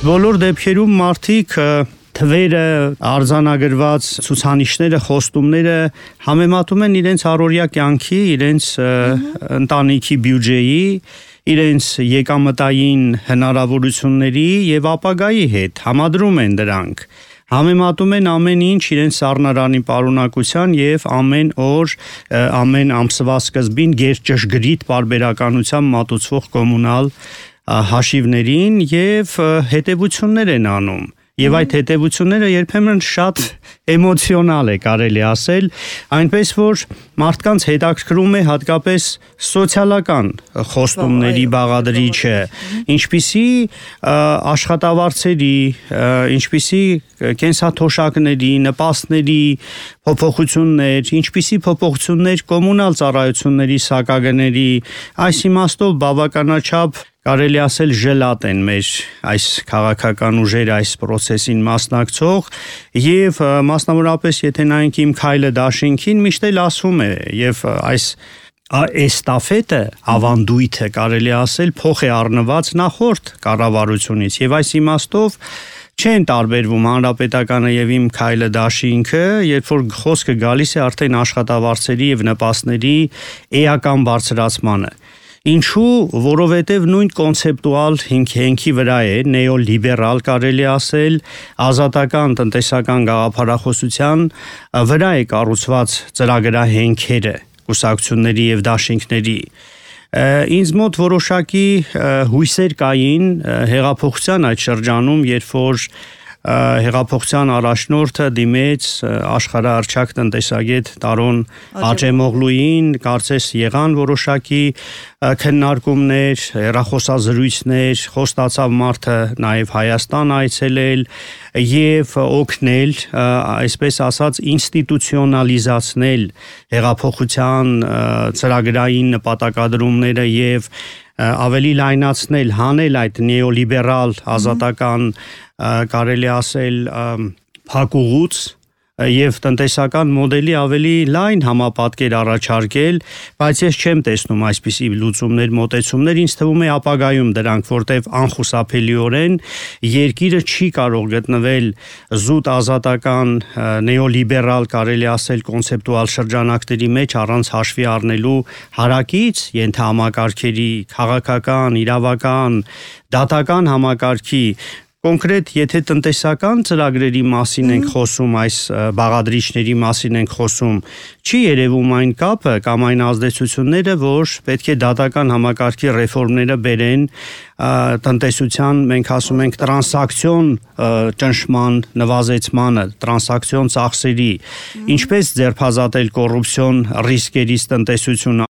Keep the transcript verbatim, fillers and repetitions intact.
Բոլոր դեպքերում մարդիկ թվերը, արձանագրված ցուցանիշները, խոստումները համեմատում են իրենց առօրյա կյանքի, իրենց ընտանիքի բյուջեի, իրենց եկամտային հնարավորությունների եւ ապագայի հետ, համադրում են դրանք, համեմատում են ամեն ինչ իրենց սառնարանի պարունակության եւ ամեն օր, ամեն ամսվա սկզբին գերճշգրիտ պարբերականությամբ մատուցվող կոմունալ հաշիվներին եւ հետեւություններ են անում։ Եվ այդ հետևությունները երբեմն շատ էմոցիոնալ է կարելի ասել, այնպես որ մարդկանց հետաքրքրում է հատկապես սոցիալական խոստումների բաղադրիչը, ինչպիսի աշխատավարձերի, ինչպիսի կենսաթոշակների, նպաստների փոփոխություններ, ինչպիսի փոփոխություններ կոմունալ ծառայությունների սակագների, այս իմաստով բավականաչափ կարելի ասել ժելատ են մեր այս քաղաքական ուժերը այս process-ին մասնակցող եւ մասնավորապես եթե նայենք իմ քայլը դաշինքին միշտ էլ ասում է եւ այս էստաֆետը ավանդույթը կարելի ասել փոխ է առնված նախորդ կառավարությունից եւ այս իմաստով չեն տարբերվում հանրապետականը եւ իմ քայլը դաշինքը, երբ որ խոսքը գալիս է արդեն աշխատավարձերի եւ նպաստների էական բարձրացմանը։ Ինչու, որովհետև նույն կոնցեպտուալ հենքի վրա է, նեոլիբերալ կարելի ասել, ազատական տնտեսական գաղափարախոսության վրա է կառուցված ծրագրահենքերը, կուսակցությունների եւ դաշինքների։ Ինձ մոտ որոշակի հույսեր կային հեղափոխության այդ շրջանում, երբ որ հեղափոխության առաջնորդը դիմեց աշխարհահռչակ տնտեսագետ Տարոն Աջեմօղլուին, կարծես եղան որոշակի քննարկումներ, հեռախոսազրույցներ, խոստացավ մարդը նաև Հայաստան այցելել եւ օգնել, այսպես ասած, ինստիտուցիոնալիզացնել հեղափոխության ծրագրային նպատակադրումները եւ ավելի լայնացնել, հանել այդ նեոլիբերալ ազատական կարելի ասել փակուղուց եւ տնտեսական մոդելի ավելի լայն համապատկեր առաջարկել, բայց ես չեմ տեսնում այսպիսի լուծումներ, մոտեցումներ, ինձ թվում է ապագայում դրանք, որտեվ անխուսափելիորեն երկիրը չի կարող գտնվել զուտ ազատական նեոլիբերալ կարելի ասել կոնցեպտուալ շրջանակների մեջ առանց հաշվի առնելու հարակից ենթահամակարգերի, քաղաքական, իրավական, դատական համակարգի Կոնկրետ, եթե տնտեսական ծրագրերի մասին ենք խոսում, այս բաղադրիչների մասին ենք խոսում, չի երևում այն կապը կամ այն ազդեցությունները, որ պետք է դատական համակարգի ռեֆորմները բերեն տնտեսության, մենք ասում ենք տրանսակցիոն ճնշման նվազեցմանը, տրանսակցիոն ծախսերի, ինչպես ձերբազատել կոռուպցիոն ռիսկերից տնտեսությունը